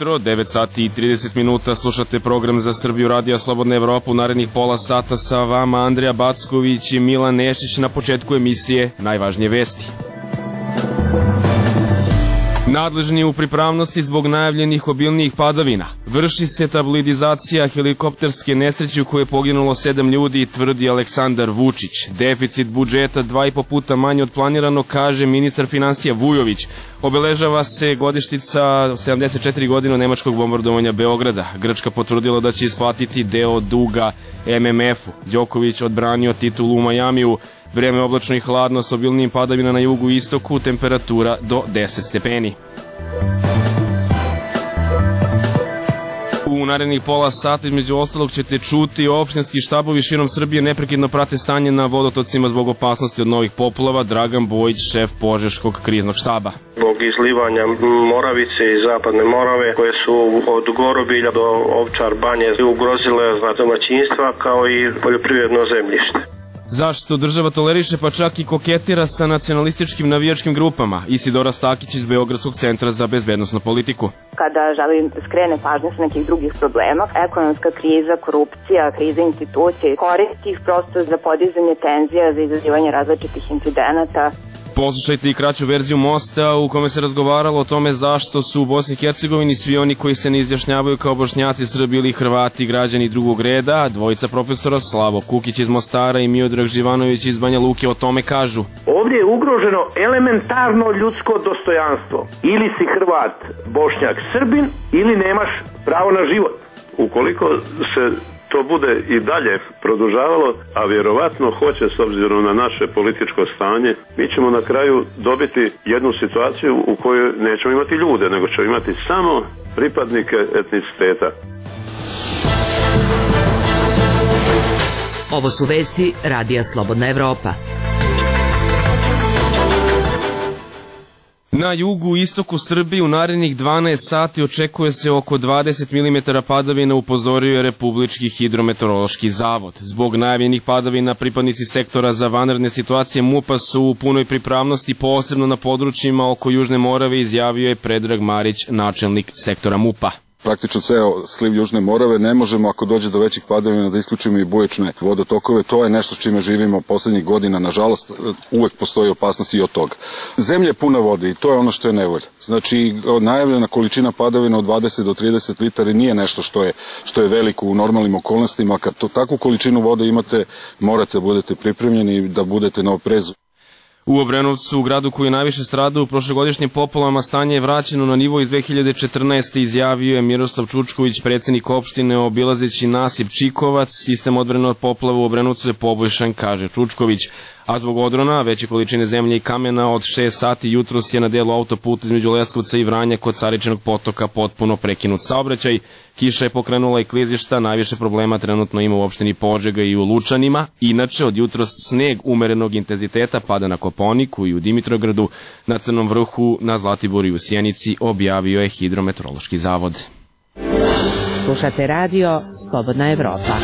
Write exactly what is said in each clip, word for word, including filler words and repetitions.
jutro, devet sati i trideset minuta, slušate program za Srbiju Radija Slobodna Evropa. U narednih pola sata sa vama Andrija Backović i Milan Nešić. Na početku emisije najvažnije vesti. Nadležni u pripravnosti zbog najavljenih obilnijih padavina. Vrši se tabloidizacija helikopterske nesreće u kojoj je poginulo sedam ljudi, tvrdi Aleksandar Vučić. Deficit budžeta dva i po puta manje od planirano, kaže ministar finansija Vujović. Obeležava se godištica sedamdeset četiri godine od nemačkog bombardovanja Beograda. Grčka potvrdila da će isplatiti deo duga em em efu. Đoković odbranio titulu u Majamiju. Vreme oblačno i hladno s obilnim padavina na jugu i istoku, temperatura do deset stepeni. U narednih pola sata između ostalog ćete čuti opštinski štabovi širom Srbije neprekidno prate stanje na vodotocima zbog opasnosti od novih poplava. Dragan Bojić, šef Požeškog kriznog štaba. Zbog izlivanja Moravice i Zapadne Morave koje su od Gorobilja do Ovčar Banje ugrozile domaćinstva kao i poljoprivredno zemljište. Zašto država toleriše pa čak i koketira sa nacionalističkim navijačkim grupama? Isidora Stakić iz Beogradskog centra za bezbednosnu politiku. Kada želi skrene pažnje sa nekih drugih problema, ekonomska kriza, korupcija, kriza institucije, koristi ih prosto za podizanje tenzija, za izazivanje različitih incidenata. Poslušajte i kraću verziju Mosta u kome se razgovaralo o tome zašto su u Bosni i Hercegovini svi oni koji se ne izjašnjavaju kao Bošnjaci, Srbi ili Hrvati građani drugog reda, a dvojica profesora Slavo Kukić iz Mostara i Miodrag Živanović iz Banja Luke o tome kažu. Ovdje je ugroženo elementarno ljudsko dostojanstvo. Ili si Hrvat, Bošnjak, Srbin ili nemaš pravo na život. Ukoliko se to bude i dalje produžavalo, a vjerovatno hoće s obzirom na naše političko stanje, mi ćemo na kraju dobiti jednu situaciju u kojoj nećemo imati ljude, nego ćemo imati samo pripadnike etniciteta. Ovo su vesti Radija Slobodna Evropa. Na jugu i istoku Srbije u narednih dvanaest sati očekuje se oko dvadeset milimetara padavina, upozorio je Republički hidrometeorološki zavod. Zbog najavljenih padavina pripadnici sektora za vanredne situacije MUP-a su u punoj pripravnosti, posebno na područjima oko Južne Morave, izjavio je Predrag Marić, načelnik sektora MUP-a. Praktično ceo sliv Južne Morave ne možemo, ako dođe do većih padavina, da isključimo i bujične vodotokove. To je nešto s čime živimo poslednjih godina. Nažalost, uvek postoji opasnost i od toga. Zemlja je puna vode i to je ono što je nevolja. Znači, najavljena količina padavina od dvadeset do trideset litara nije nešto što je, što je veliko u normalnim okolnostima. Kad to, takvu količinu vode imate, morate da budete pripremljeni i da budete na oprezu. U Obrenovcu, u gradu koji je najviše stradao u prošlogodišnjim poplavama, stanje je vraćeno na nivo iz dve hiljade četrnaeste. izjavio je Miroslav Čučković, predsjednik opštine, obilazeći nasip Čikovac. Sistem odbrane od poplava u Obrenovcu je poboljšan, kaže Čučković. A zbog odrona, veće količine zemlje i kamena, od šest sati jutros je na delu autoputa između Leskovca i Vranja kod Caričnog potoka potpuno prekinut saobraćaj. Kiša je pokrenula i klizišta, najviše problema trenutno ima u opštini Požega i u Lučanima. Inače, od jutros sneg umerenog intenziteta pada na Kopaoniku i u Dimitrogradu, na Crnom vrhu, na Zlatiboru i u Sjenici, objavio je Hidrometeorološki zavod. Slušate radio Slobodna Evropa.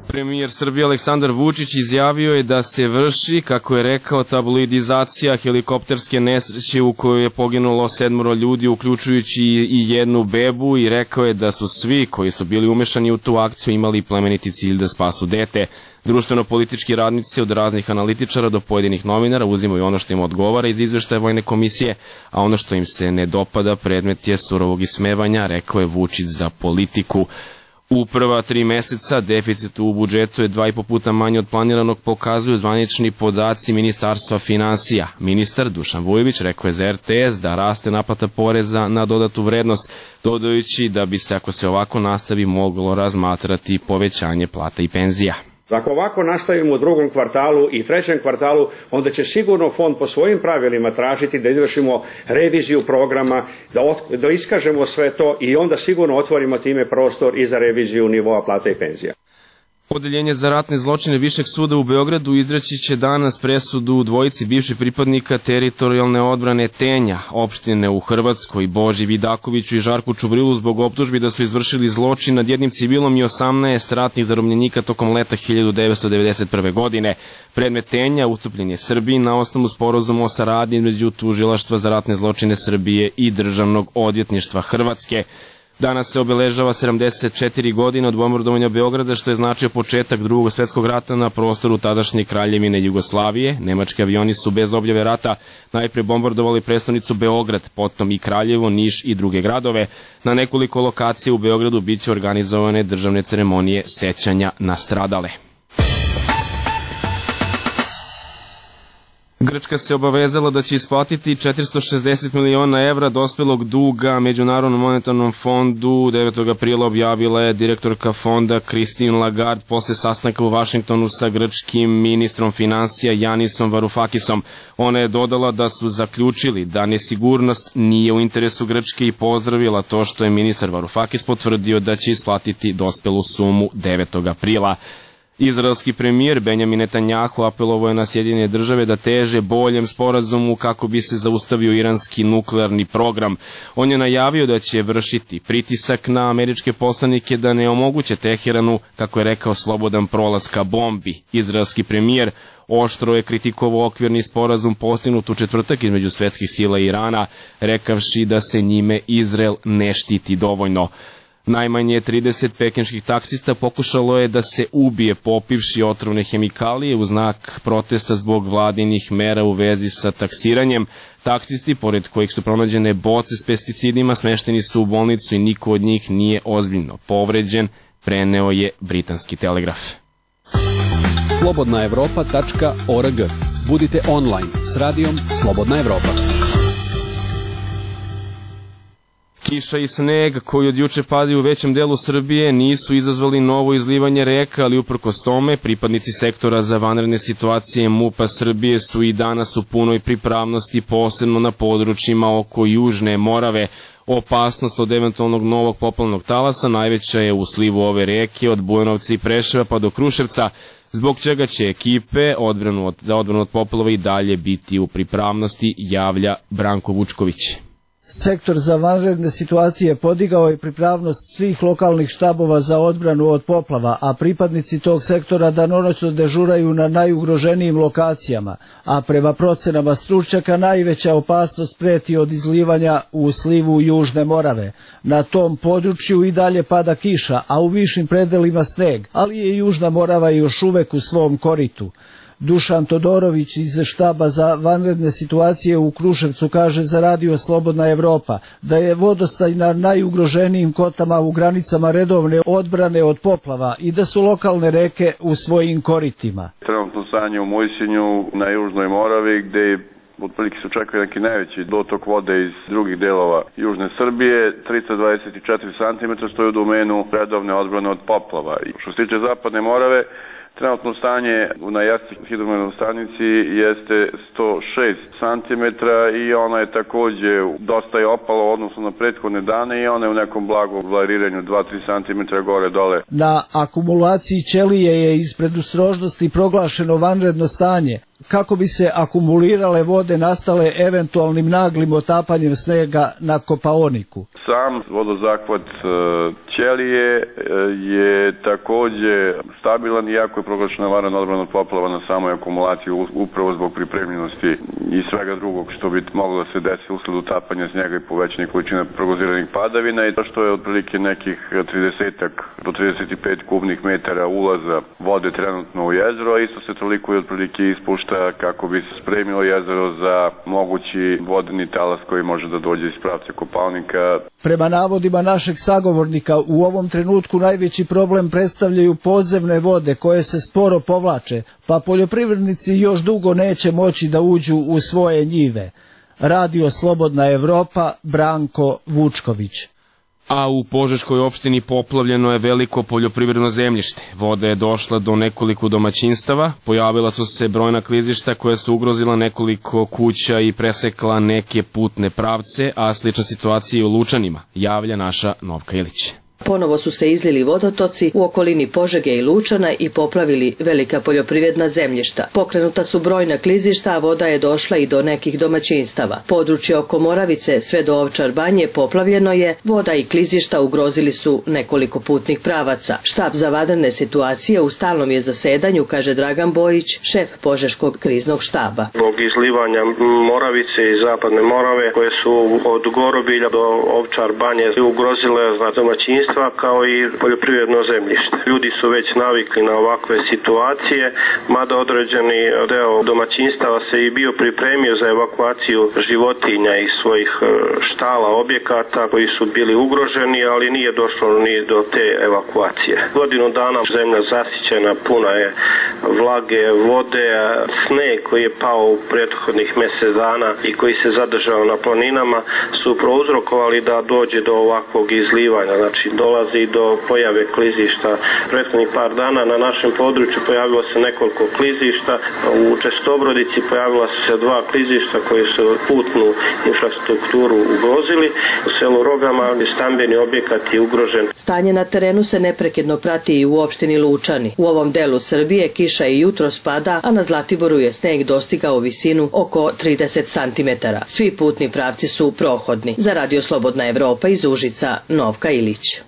Premijer Srbije Aleksandar Vučić izjavio je da se vrši, kako je rekao, tabloidizacija helikopterske nesreće u kojoj je poginulo sedmoro ljudi, uključujući i jednu bebu, i rekao je da su svi koji su bili umešani u tu akciju imali plemeniti cilj da spasu dete. Društveno-politički radnici od raznih analitičara do pojedinih novinara uzimaju ono što im odgovara iz izveštaja Vojne komisije, a ono što im se ne dopada predmet je surovog ismevanja, rekao je Vučić za Politiku. U prva tri meseca deficit u budžetu je dva i po puta manje od planiranog, pokazuju zvanični podaci Ministarstva finansija. Ministar Dušan Vujović rekao je za er te es da raste naplata poreza na dodatu vrednost, dodajući da bi se, ako se ovako nastavi, moglo razmatrati povećanje plata i penzija. Ako ovako nastavimo u drugom kvartalu i trećem kvartalu, onda će sigurno fond po svojim pravilima tražiti da izvršimo reviziju programa, da, ot, da iskažemo sve to i onda sigurno otvorimo time prostor i za reviziju nivoa plata i penzija. Odeljenje za ratne zločine Višeg suda u Beogradu izreći će danas presudu dvojici bivših pripadnika teritorijalne odbrane Tenja, opštine u Hrvatskoj, Boži Vidakoviću i Žarku Čubrilu zbog optužbi da su izvršili zločin nad jednim civilom i osamnaest ratnih zarobljenika tokom leta hiljadu devetsto devedeset prve. godine. Predmet Tenja ustupljen je Srbiji na osnovu sporazuma o saradnji između Tužilaštva za ratne zločine Srbije i Državnog odvjetništva Hrvatske. Danas se obeležava sedamdeset četiri godine od bombardovanja Beograda, što je značio početak Drugog svetskog rata na prostoru tadašnje Kraljevine Jugoslavije. Nemački avioni su bez objave rata najpre bombardovali prestonicu Beograd, potom i Kraljevo, Niš i druge gradove. Na nekoliko lokacija u Beogradu biće organizovane državne ceremonije sećanja na stradale. Grčka se obavezala da će isplatiti četiristo šezdeset miliona evra dospelog duga Međunarodnom monetarnom fondu. devetog aprila objavila je direktorka fonda Christine Lagarde posle sastanka u Vašingtonu sa grčkim ministrom finansija Janisom Varoufakisom. Ona je dodala da su zaključili da nesigurnost nije u interesu Grčke i pozdravila to što je ministar Varoufakis potvrdio da će isplatiti dospelu sumu devetog aprila. Izraelski premijer Benjamin Netanjahu apelovao je na Sjedinjene države da teže boljem sporazumu kako bi se zaustavio iranski nuklearni program. On je najavio da će vršiti pritisak na američke poslanike da ne omoguće Teheranu, kako je rekao, slobodan prolaz ka bombi. Izraelski premijer oštro je kritikovao okvirni sporazum postignut u četvrtak između svetskih sila i Irana, rekavši da se njime Izrael ne štiti dovoljno. Najmanje trideset pekinških taksista pokušalo je da se ubije popivši otrovne hemikalije u znak protesta zbog vladinih mera u vezi sa taksiranjem. Taksisti, pored kojih su pronađene boce s pesticidima, smešteni su u bolnicu i niko od njih nije ozbiljno povređen, preneo je britanski Telegraf. slobodna evropa tačka org. Budite online s radijom Slobodna Evropa. Kiša i sneg koji od juče padaju u većem delu Srbije nisu izazvali novo izlivanje reka, ali uprkos tome pripadnici sektora za vanredne situacije MUP-a Srbije su i danas u punoj pripravnosti, posebno na područjima oko Južne Morave. Opasnost od eventualnog novog poplavnog talasa najveća je u slivu ove reke od Bujanovca i Preševa pa do Kruševca, zbog čega će ekipe odbranu od, za odbranu od poplava i dalje biti u pripravnosti, javlja Branko Vučković. Sektor za vanredne situacije podigao je pripravnost svih lokalnih štabova za odbranu od poplava, a pripadnici tog sektora danonoćno dežuraju na najugroženijim lokacijama, a prema procenama stručnjaka najveća opasnost preti od izlivanja u slivu Južne Morave. Na tom području i dalje pada kiša, a u višim predelima sneg, ali je Južna Morava još uvek u svom koritu. Dušan Todorović iz štaba za vanredne situacije u Kruševcu kaže za radio Slobodna Evropa da je vodostaj na najugroženijim kotama u granicama redovne odbrane od poplava i da su lokalne reke u svojim koritima. Trenutno stanje u Mojsinju na Južnoj Moravi gde otprilike se očekuje neki najveći dotok vode iz drugih delova Južne Srbije, trista dvadeset četiri santimetra stoji u domenu redovne odbrane od poplava. Što se tiče Zapadne Morave, trenutno stanje na Jasci hidrometeorološkoj stanici jeste sto šest santimetra i ona je takođe dosta je opala u odnosu na prethodne dane i ona je u nekom blagom variranju dva do tri santimetra gore dole. Na akumulaciji ćelije je iz predostrožnosti proglašeno vanredno stanje kako bi se akumulirale vode nastale eventualnim naglim otapanjem snega na Kopaoniku. Sam vodozahvat ćelije je takođe stabilan, iako je proglašena vanredna odbrana od poplava na samoj akumulaciji upravo zbog pripremljenosti i svega drugog što bi moglo da se desi usled utapanja snega i povećanja količina prognoziranih padavina i to što je otprilike nekih trideset do trideset pet kubnih metara ulaza vode trenutno u jezero, a isto se toliko i otprilike ispušta kako bi se spremilo jezero za mogući vodeni talas koji može da dođe iz pravca Kopaonika. Prema navodima našeg sagovornika, u ovom trenutku najveći problem predstavljaju podzemne vode koje se sporo povlače, pa poljoprivrednici još dugo neće moći da uđu u svoje njive. Radio Slobodna Evropa, Branko Vučković. A u Požeškoj opštini poplavljeno je veliko poljoprivredno zemljište. Voda je došla do nekoliko domaćinstava, pojavila su se brojna klizišta koja su ugrozila nekoliko kuća i presekla neke putne pravce, a slična situacija je u Lučanima, javlja naša Novka Ilić. Ponovo su se izlili vodotoci u okolini Požege i Lučana i poplavili velika poljoprivredna zemljišta. Pokrenuta su brojna klizišta, a voda je došla i do nekih domaćinstava. Područje oko Moravice sve do Ovčar Banje poplavljeno je, voda i klizišta ugrozili su nekoliko putnih pravaca. Štab za vanredne situacije u stalnom je zasedanju, kaže Dragan Bojić, šef Požeškog kriznog štaba. Zbog izlivanja Moravice i Zapadne Morave, koje su od Gorobilja do Ovčar Banje ugrozile domaćinstva kao i poljoprivredno zemljište. Ljudi su već navikli na ovakve situacije, mada određeni deo domaćinstava se i bio pripremio za evakuaciju životinja iz svojih štala, objekata koji su bili ugroženi, ali nije došlo ni do te evakuacije. Godinu dana zemlja zasićena, puna je vlage, vode, sneg koji je pao u prethodnih mjesec dana i koji se zadržao na planinama su prouzrokovali da dođe do ovakvog izlivanja. Znači dolazi do pojave klizišta. Prethodnih par dana na našem području pojavilo se nekoliko klizišta. U Čestobrodici pojavila su se dva klizišta koje su putnu infrastrukturu ugrozili. U selu Rogama stambeni objekat je ugrožen. Stanje na terenu se neprekidno prati i u opštini Lučani. U ovom delu Srbije kiša i jutro spada, a na Zlatiboru je sneg dostigao visinu oko trideset santimetara. Svi putni pravci su prohodni. Za Radio Slobodna Evropa iz Užica, Novka Ilić.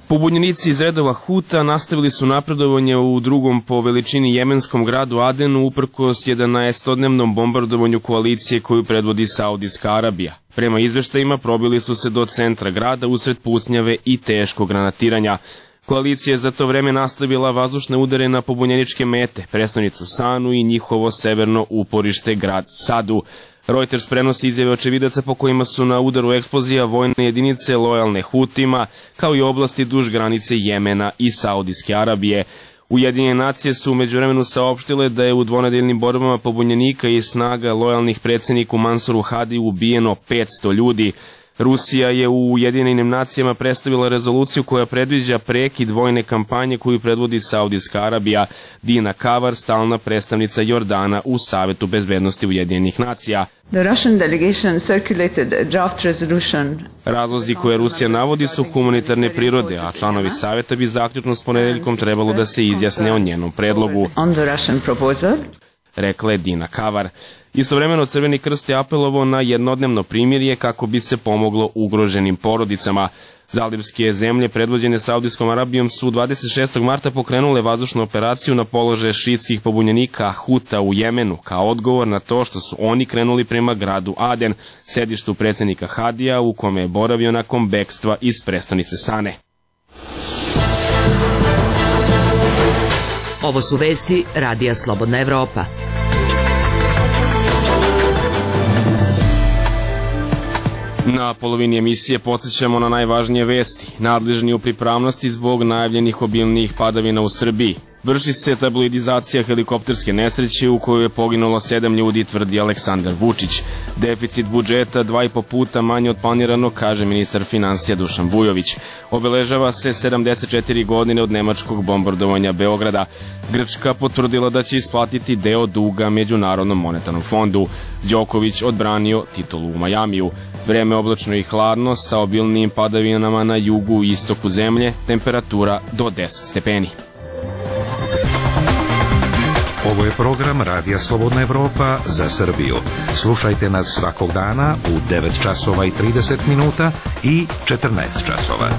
Pobunjenici iz redova Huta nastavili su napredovanje u drugom po veličini jemenskom gradu Adenu uprkos jedanaestodnevnom bombardovanju koalicije koju predvodi Saudijska Arabija. Prema izveštajima probili su se do centra grada usred pucnjave i teškog granatiranja. Koalicija je za to vreme nastavila vazdušne udare na pobunjeničke mete, prestonicu Sanu i njihovo severno uporište grad Sadu. Reuters prenosi izjave očevidaca po kojima su na udaru eksplozija vojne jedinice lojalne Hutima, kao i oblasti duž granice Jemena i Saudijske Arabije. Ujedinjene nacije su u međuvremenu saopštile da je u dvonedeljnim borbama pobunjenika i snaga lojalnih predsjedniku Mansuru Hadi ubijeno petsto ljudi. Rusija je u Ujedinjenim nacijama predstavila rezoluciju koja predviđa prekid vojne kampanje koju predvodi Saudijska Arabija. Dina Kavar, stalna predstavnica Jordana u Savetu bezbednosti Ujedinjenih nacija. The Russian delegation circulated a draft resolution. Razlozi koje Rusija navodi su humanitarne prirode, a članovi Saveta bi zaključno s ponedeljkom trebalo da se izjasne o njenom predlogu. On the Russian proposal. Rekla je Dina Kavar. Istovremeno Crveni krst je apelovao na jednodnevno primirje kako bi se pomoglo ugroženim porodicama. Zalivske zemlje predvođene Saudijskom Arabijom su dvadeset šestog marta pokrenule vazdušnu operaciju na položaje šiitskih pobunjenika Huta u Jemenu kao odgovor na to što su oni krenuli prema gradu Aden, sedištu predsjednika Hadija u kome je boravio nakon bekstva iz prestonice Sane. Ovo su vesti Radija Slobodna Evropa. Na polovini emisije podsjećamo na najvažnije vesti. Nadležni u pripravnosti zbog najavljenih obilnijih padavina u Srbiji. Vrši se tabloidizacija helikopterske nesreće u kojoj je poginulo sedam ljudi, tvrdi Aleksandar Vučić. Deficit budžeta dva i po puta manje od planiranog, kaže ministar finansija Dušan Vujović. Obeležava se sedamdeset četiri godine od nemačkog bombardovanja Beograda. Grčka potvrdila da će isplatiti deo duga Međunarodnom monetarnom fondu. Đoković odbranio titulu u Majamiju. Vreme oblačno i hladno sa obilnijim padavinama na jugu i istoku zemlje, temperatura do deset stepeni. Ovo je program Radija Slobodna Evropa za Srbiju. Slušajte nas svakog dana u devet časova i trideset minuta i četrnaest časova.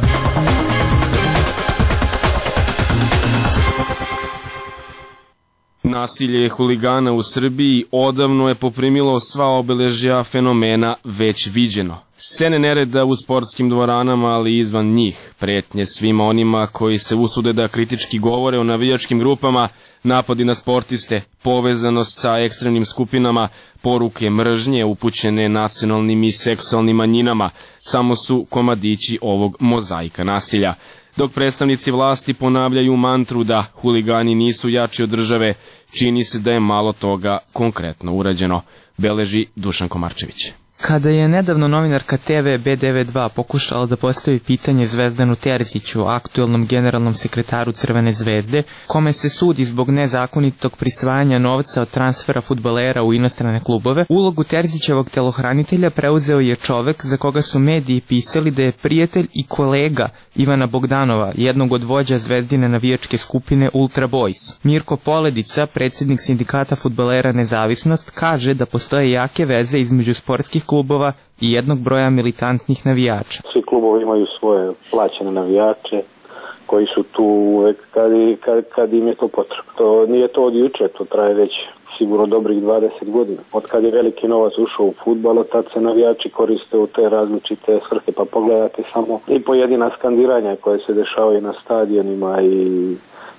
Nasilje huligana u Srbiji odavno je poprimilo sva obeležja fenomena već viđeno. Scene nereda u sportskim dvoranama, ali i izvan njih, pretnje svima onima koji se usude da kritički govore o navijačkim grupama, napadi na sportiste, povezanost sa ekstremnim skupinama, poruke mržnje upućene nacionalnim i seksualnim manjinama, samo su komadići ovog mozaika nasilja. Dok predstavnici vlasti ponavljaju mantru da huligani nisu jači od države, čini se da je malo toga konkretno urađeno, beleži Dušan Komarčević. Kada je nedavno novinarka te ve be devedeset dva pokušala da postavi pitanje Zvezdanu Terziću, aktuelnom generalnom sekretaru Crvene zvezde, kome se sudi zbog nezakonitog prisvajanja novca od transfera fudbalera u inostrane klubove, ulogu Terzićevog telohranitelja preuzeo je čovek za koga su mediji pisali da je prijatelj i kolega Ivana Bogdanova, jednog od vođa Zvezdine navijačke skupine Ultra Boys. Mirko Poledica, predsjednik sindikata fudbalera Nezavisnost, kaže da postoje jake veze između sportskih klubova i jednog broja militantnih navijača. Svi klubovi imaju svoje plaćene navijače koji su tu uvek kad, kad, kad im je to potrebno. To nije to od juče, to traje već sigurno dobrih dvadeset godina. Od kad je veliki novac ušao u fudbal, od tad se navijači koriste u te različite svrhe, pa pogledate samo i pojedina skandiranja koje se dešavaju na stadionima i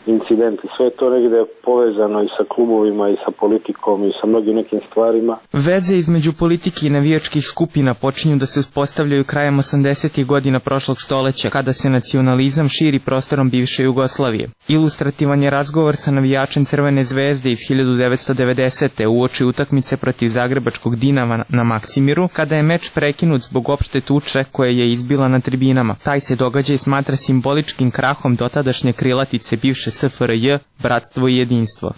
incidenti, sve to negde je povezano i sa klubovima i sa politikom i sa mnogim nekim stvarima. Veze između politike i navijačkih skupina počinju da se uspostavljaju krajem osamdesetih godina prošlog stoleća, kada se nacionalizam širi prostorom bivše Jugoslavije. Ilustrativan je razgovor sa navijačem Crvene zvezde iz hiljadu devetsto devedesete uoči utakmice protiv zagrebačkog Dinama na Maksimiru, kada je meč prekinut zbog opšte tuče koje je izbila na tribinama. Taj se događaj smatra simboličkim krahom dotadašnje krilatice bivše es fe er je, bratstvo i jedinstvo.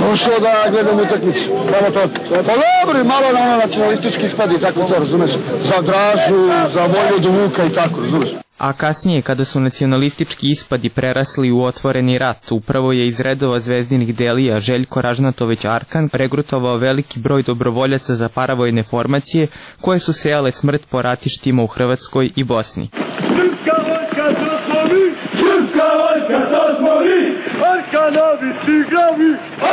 Došao da gledam utakmicu, samo to. Pa dobro, malo na ono nacionalistički ispadi, tako to, razumeš? Za Dražu, za Vojvodu Vuka i tako, razumeš? A kasnije, kada su nacionalistički ispadi prerasli u otvoreni rat, upravo je iz redova zvezdinih delija Željko Ražnatović Arkan regrutovao veliki broj dobrovoljaca za paravojne formacije koje su sejale smrt po ratištima u Hrvatskoj i Bosni. Srpska vojska to smo mi, srpska vojska to smo mi, Arkanovi tigrovi,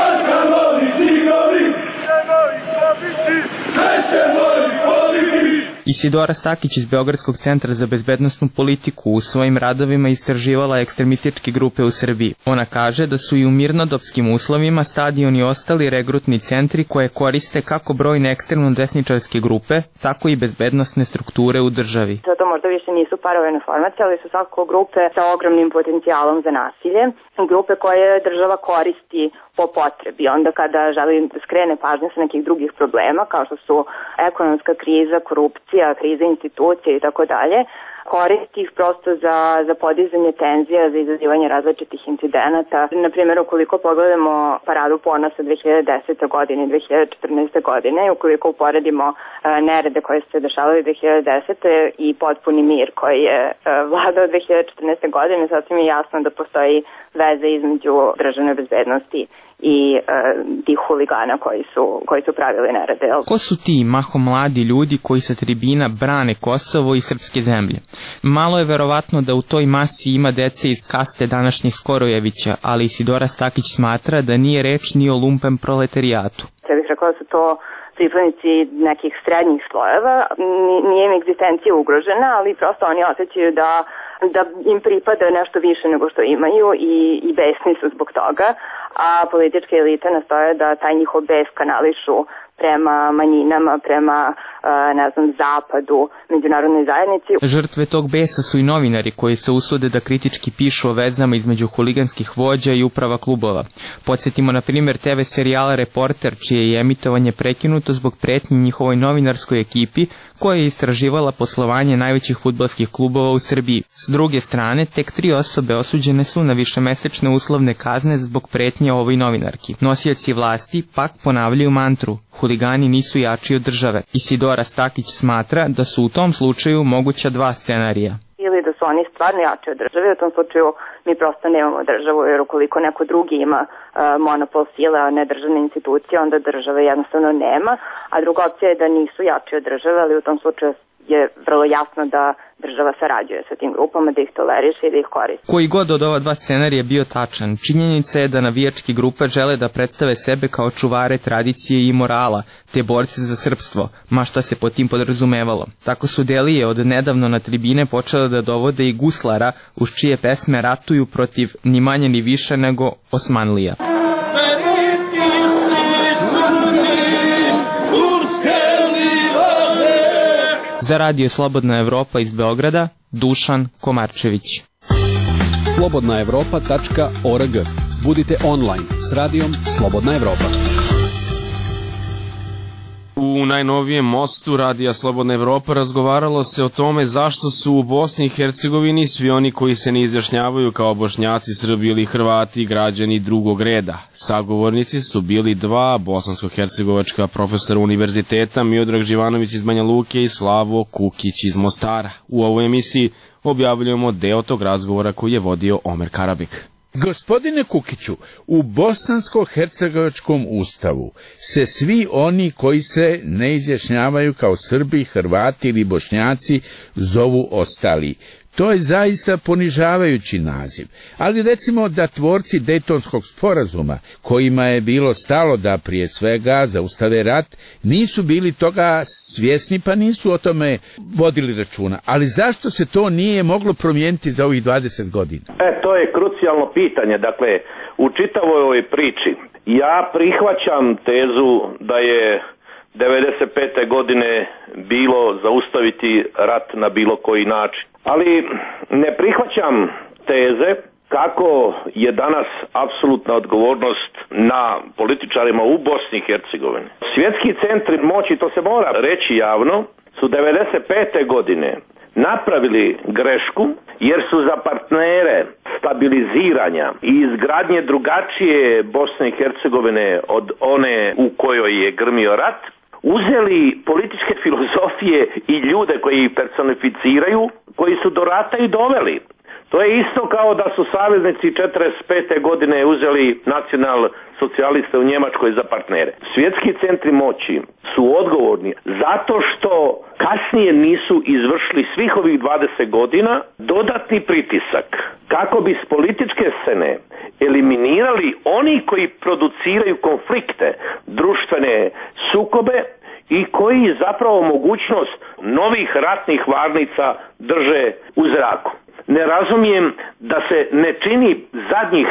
Arkanovi tigrovi, nemovi pobiti, nećemo ih pobiti. Isidora Stakić iz Beogradskog centra za bezbednostnu politiku u svojim radovima istraživala ekstremističke grupe u Srbiji. Ona kaže da su i u mirnodopskim uslovima stadioni ostali regrutni centri koje koriste kako brojne ekstremno desničarske grupe, tako i bezbednostne strukture u državi. Zato možda više nisu paravojne formacije, ali su svakako grupe sa ogromnim potencijalom za nasilje, grupe koje država koristi po potrebi. Onda kada želi da skrene pažnju sa nekih drugih problema, kao što su ekonomska kriza, korupcija, kriza institucija i tako dalje, koristi ih prosto za, za podizanje tenzija, za izazivanje različitih incidenata. Na primjer, ukoliko pogledamo paradu ponosa dve hiljade desete. godine i dve hiljade četrnaeste. godine, ukoliko uporedimo uh, nerede koje se dešavali dve hiljade desete. i potpuni mir koji je uh, vladao dve hiljade četrnaeste. godine, sasvim je jasno da postoji veze između državne bezbednosti i uh, tih huligana koji su, koji su pravili nerede. Ko su ti mahom mladi ljudi koji sa tribina brane Kosovo i srpske zemlje? Malo je verovatno da u toj masi ima dece iz kaste današnjih Skorojevića, ali Isidora Stakić smatra da nije reč ni o lumpen proletarijatu. Ja bih rekao da su to pripadnici nekih srednjih slojeva, nije im egzistencija ugrožena, ali prosto oni osjećaju da, da im pripada nešto više nego što imaju i, i besni su zbog toga, a političke elite nastoje da taj njihov bes kanališu prema manjinama, prema, ne znam, zapadu, međunarodnoj zajednici. Žrtve tog besa su i novinari koji se usude da kritički pišu o vezama između huliganskih vođa i uprava klubova. Podsjetimo na primjer te ve serijala Reporter, čije je emitovanje prekinuto zbog pretnji njihovoj novinarskoj ekipi koja je istraživala poslovanje najvećih fudbalskih klubova u Srbiji. S druge strane, tek tri osobe osuđene su na višemesečne uslovne kazne zbog pretnje ovoj novinarki. Nosioci vlasti pak ponavljaju mantru: huligani nisu jači od države. Isidora Stakić smatra da su u tom slučaju moguća dva scenarija. Ili da su oni stvarno jači od države, u tom slučaju mi prosto nemamo državu, jer ukoliko neko drugi ima uh, monopol sile, a ne državne institucije, onda države jednostavno nema, a druga opcija je da nisu jači od države, ali u tom slučaju je vrlo jasno da država sarađuje sa tim grupama, da ih toleriše i da ih koristi. Koji god od ova dva scenarija bio tačan, činjenica je da navijačke grupe žele da predstave sebe kao čuvare tradicije i morala, te borce za srpstvo, ma šta se pod tim podrazumevalo. Tako su Delije od nedavno na tribine počele da dovode i guslara, uz čije pesme ratuju protiv ni manje ni više nego Osmanlija. Za Radio Slobodna Evropa iz Beograda, Dušan Komarčević. slobodna evropa tačka org. Budite online s radijom Slobodna Evropa. U najnovijem mostu Radija Slobodna Evropa razgovaralo se o tome zašto su u Bosni i Hercegovini svi oni koji se ne izjašnjavaju kao Bošnjaci, Srbi ili Hrvati građani drugog reda. Sagovornici su bili dva bosansko-hercegovačka profesora univerziteta, Miodrag Živanović iz Banja Luke i Slavo Kukić iz Mostara. U ovoj emisiji objavljujemo deo tog razgovora koji je vodio Omer Karabek. Gospodine Kukiću, u bosansko-hercegovačkom ustavu se svi oni koji se ne izjašnjavaju kao Srbi, Hrvati ili Bošnjaci zovu ostali. To je zaista ponižavajući naziv, ali recimo da tvorci Dejtonskog sporazuma, kojima je bilo stalo da prije svega zaustave rat, nisu bili toga svjesni pa nisu o tome vodili računa. Ali zašto se to nije moglo promijeniti za ovih dvadeset godina? E, to je krucijalno pitanje. Dakle, u čitavoj ovoj priči ja prihvaćam tezu da je devedeset pete godine bilo zaustaviti rat na bilo koji način. Ali ne prihvaćam teze kako je danas apsolutna odgovornost na političarima u Bosni i Hercegovini. Svjetski centri moći, to se mora reći javno, su devedeset pete godine napravili grešku jer su za partnere stabiliziranja i izgradnje drugačije Bosne i Hercegovine od one u kojoj je grmio rat uzeli političke filozofije i ljude koji ih personificiraju, koji su do rata i doveli. To je isto kao da su saveznici četrdeset pete godine uzeli nacional socijaliste u Njemačkoj za partnere. Svjetski centri moći su odgovorni zato što kasnije nisu izvršili svih ovih dvadeset godina dodatni pritisak kako bi s političke scene eliminirali oni koji produciraju konflikte, društvene sukobe i koji zapravo mogućnost novih ratnih varnica drže u zraku. Ne razumijem da se ne čini zadnjih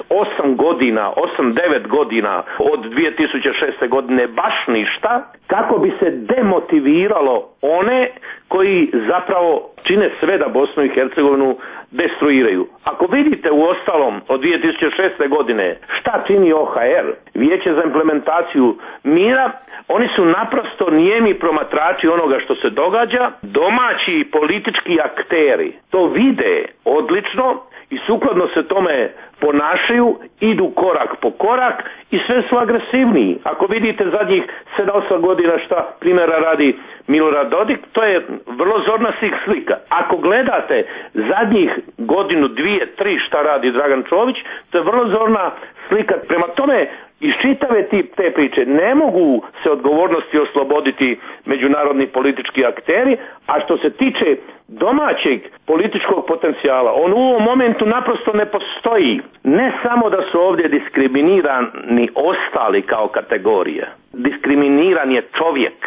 osam godina, osam devet godina od dvije tisuće šeste godine baš ništa kako bi se demotiviralo one koji zapravo čine sve da Bosnu i Hercegovinu destruiraju. Ako vidite u ostalom od dvije tisuće šeste godine šta čini O H R, Vijeće za implementaciju mira, oni su naprosto nijemi promatrači onoga što se događa, domaći politički akteri to vide odlično i sukladno se tome ponašaju, idu korak po korak i sve su agresivniji. Ako vidite zadnjih sedam osam godina šta primjera radi Milorad Dodik, to je vrlo zorna slika. Ako gledate zadnjih godinu, dvije, tri šta radi Dragan Čović, to je vrlo zorna slika. Prema tome, iz čitave te priče ne mogu se odgovornosti osloboditi međunarodni politički akteri, a što se tiče domaćeg političkog potencijala, on u ovom momentu naprosto ne postoji. Ne samo da su ovdje diskriminirani ostali kao kategorija, diskriminiran je čovjek.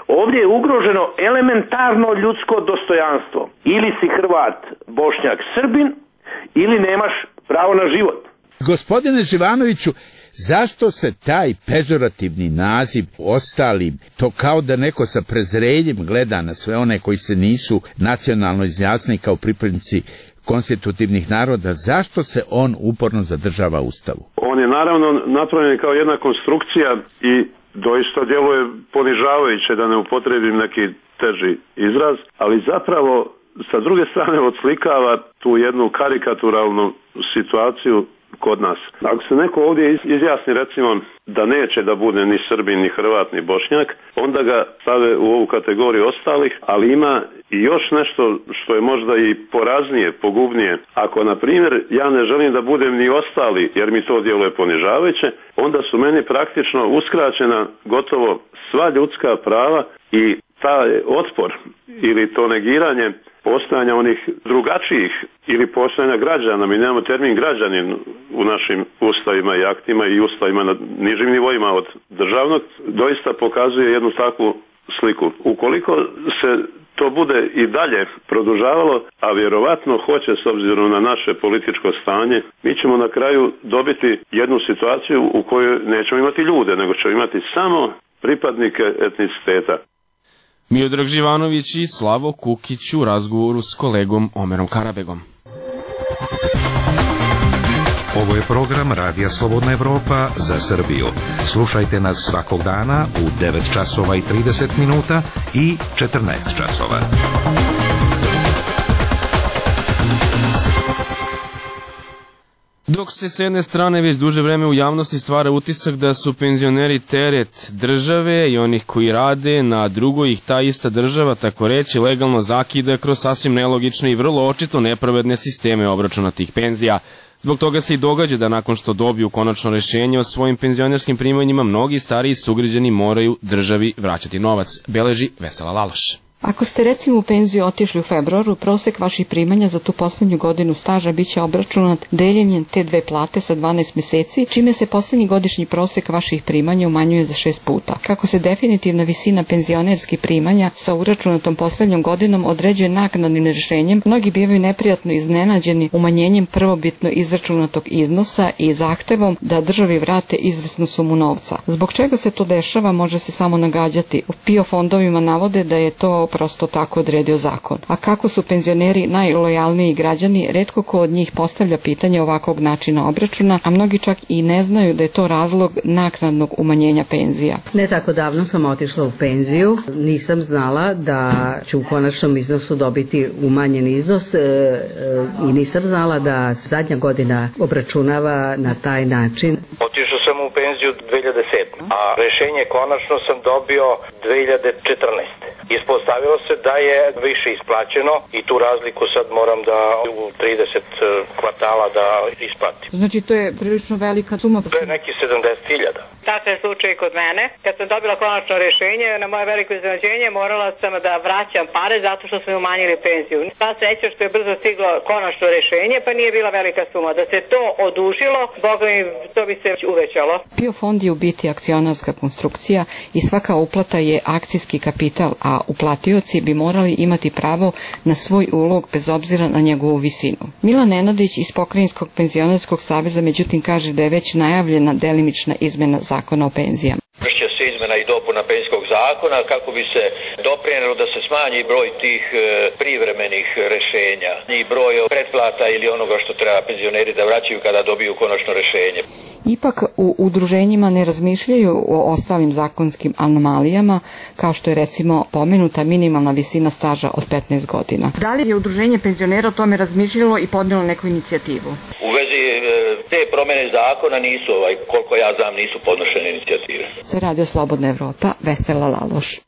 Ovdje je ugroženo elementarno ljudsko dostojanstvo. Ili si Hrvat, Bošnjak, Srbin, ili nemaš pravo na život. Gospodine Živanoviću, zašto se taj pežorativni naziv ostalim, to kao da neko sa prezrenjem gleda na sve one koji se nisu nacionalno izjasnili kao pripadnici konstitutivnih naroda, zašto se on uporno zadržava u Ustavu? On je naravno napravljen kao jedna konstrukcija i doista djeluje ponižavajuće, da ne upotrijebim neki teži izraz, ali zapravo sa druge strane odslikava tu jednu karikaturalnu situaciju kod nas. Ako se neko ovdje izjasni recimo da neće da bude ni Srbin, ni Hrvat, ni Bošnjak, onda ga stave u ovu kategoriju ostalih, ali ima i još nešto što je možda i poraznije, pogubnije. Ako, na primjer, ja ne želim da budem ni ostali, jer mi to djeluje ponižavajuće, onda su meni praktično uskraćena gotovo sva ljudska prava i taj otpor ili to negiranje postojanja onih drugačijih ili postojanja građana. Mi nemamo termin građanin u našim ustavima i aktima i ustavima na nižim nivoima od državnog, doista pokazuje jednu takvu sliku. Ukoliko se to bude i dalje produžavalo, a vjerovatno hoće s obzirom na naše političko stanje, mi ćemo na kraju dobiti jednu situaciju u kojoj nećemo imati ljude, nego ćemo imati samo pripadnike etniciteta. Miodrag Živanović i Slavo Kukić u razgovoru s kolegom Omerom Karabegom. Ovo je program Radija Slobodna Evropa za Srbiju. Slušajte nas svakog dana u devet časova i trideset minuta i četrnaest časova. Dok se s jedne strane već duže vreme u javnosti stvara utisak da su penzioneri teret države i onih koji rade, na drugoj ih ta ista država, tako reći, legalno zakida kroz sasvim nelogične i vrlo očito nepravedne sisteme obračuna tih penzija. Zbog toga se i događa da nakon što dobiju konačno rešenje o svojim penzionerskim primanjima, mnogi stariji sugrađani moraju državi vraćati novac, beleži Vesela Laloš. Ako ste recimo u penziju otišli u februaru, prosek vaših primanja za tu poslednju godinu staža biće obračunat deljenjem te dve plate sa dvanaest meseci, čime se poslednji godišnji prosek vaših primanja umanjuje za šest puta. Kako se definitivna visina penzionerskih primanja sa uračunatom poslednjom godinom određuje naknadnim rešenjem, mnogi bivaju neprijatno iznenađeni umanjenjem prvobitno izračunatog iznosa i zahtevom da državi vrate izvesnu sumu novca. Zbog čega se to dešava može se samo nagađati. U P I O fondovima navode da je to prosto tako odredio zakon. A kako su penzioneri najlojalniji građani, retko ko od njih postavlja pitanje ovakvog načina obračuna, a mnogi čak i ne znaju da je to razlog naknadnog umanjenja penzija. Ne tako davno sam otišla u penziju, nisam znala da ću u konačnom iznosu dobiti umanjen iznos e, e, i nisam znala da zadnja godina obračunava na taj način. Otišao sam u penziju dve hiljade sedme. a rešenje konačno sam dobio dve hiljade četrnaeste. Ispostavilo se da je više isplaćeno i tu razliku sad moram da u trideset kvartala da isplatim. Znači to je prilično velika suma. To je neki sedamdeset hiljada. Takav je slučaj kod mene. Kad sam dobila konačno rešenje, na moje veliko iznenađenje morala sam da vraćam pare zato što smo umanjili penziju. Ta sreća što je brzo stiglo konačno rešenje, pa nije bila velika suma. Da se to odužilo, boga mi, to bi se uvećalo. P I O fond je u biti akcionarska konstrukcija i svaka uplata je akcijski kapital, a uplatioci bi morali imati pravo na svoj ulog bez obzira na njegovu visinu. Milan Nenadić iz Pokrajinskog penzionerskog saveza međutim kaže da je već najavljena delimična izmena zakona o penzijama. Vršće se izmena i dopuna penzijskog zakona kako bi se doprinelo da se smanji broj tih e, privremenih rešenja i broj pretplata ili onoga što treba penzioneri da vraćaju kada dobiju konačno rešenje. Ipak u udruženjima ne razmišljaju o ostalim zakonskim anomalijama, kao što je recimo pomenuta minimalna visina staža od petnaest godina. Da li je udruženje penzionera o tome razmišljalo i podnelo neku inicijativu? U vezi te promene zakona nisu, ovaj, koliko ja znam, nisu podnošene inicijative. Za Radio Slobodna Evropa, Vesela Laloš.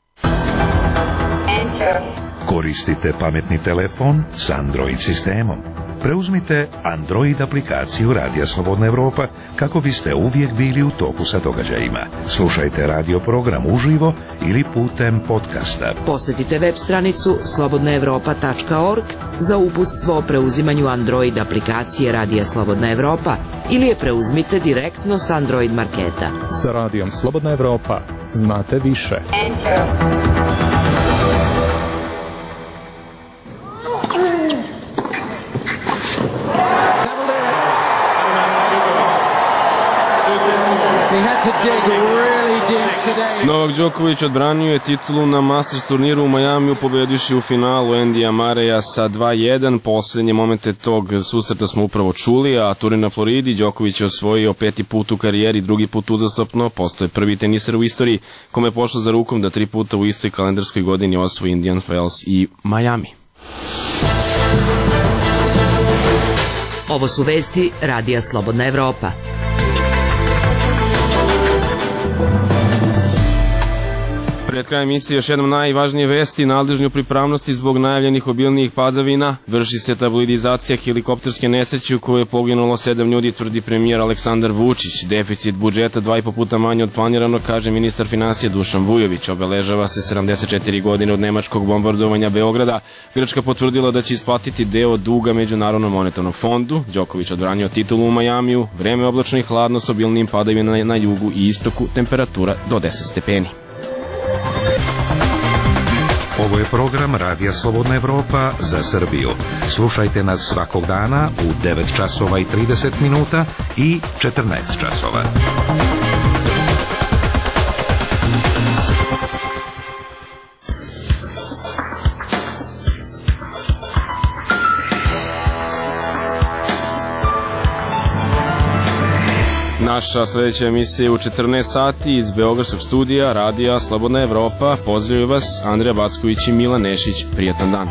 Koristite pametni telefon s Android sistemom. Preuzmite Android aplikaciju Radija Slobodna Evropa kako biste uvijek bili u toku sa događajima. Slušajte radio program uživo ili putem podcasta. Posetite web stranicu slobodna evropa tačka org za uputstvo o preuzimanju Android aplikacije Radija Slobodna Evropa ili je preuzmite direktno s Android marketa. Sa Radijom Slobodna Evropa znate više. Enter. Novak Đoković odbranio je titulu na Masters turniru u Majamiju, pobediši u finalu Endija Mareja sa dva jedan. Poslednje momente tog susreta smo upravo čuli, a turnir na Floridi Đoković je osvojio peti put u karijeri, drugi put uzastopno, postoje prvi teniser u istoriji kome je pošlo za rukom da tri puta u istoj kalendarskoj godini osvoji Indian Wells i Majami. Ovo su vesti Radija Slobodna Evropa. Pred krajem emisije još jednom najvažnije vesti. Nadležni u pripravnosti zbog najavljenih obilnijih padavina. Vrši se tabloidizacija helikopterske nesreće u kojoj je poginulo sedam ljudi, tvrdi premijer Aleksandar Vučić. Deficit budžeta dva i po puta manje od planiranog, kaže ministar finansija Dušan Vujović. Obeležava se sedamdeset četiri godine od nemačkog bombardovanja Beograda. Grčka potvrdila da će isplatiti deo duga Međunarodnom monetarnom fondu. Đoković odbranio titulu u Majamiju. Vreme oblačno i hladno s obilnijim padavina na jugu i istoku. Temperatura do deset stepeni. Ovo je program Radija Slobodna Evropa za Srbiju. Slušajte nas svakog dana u devet časova i trideset minuta i četrnaest časova. Naša sledeća emisija je u četrnaest sati iz Beogradskog studija Radija Slobodna Evropa. Pozdravljaju vas Andrija Backović i Milan Nešić. Prijatan dan.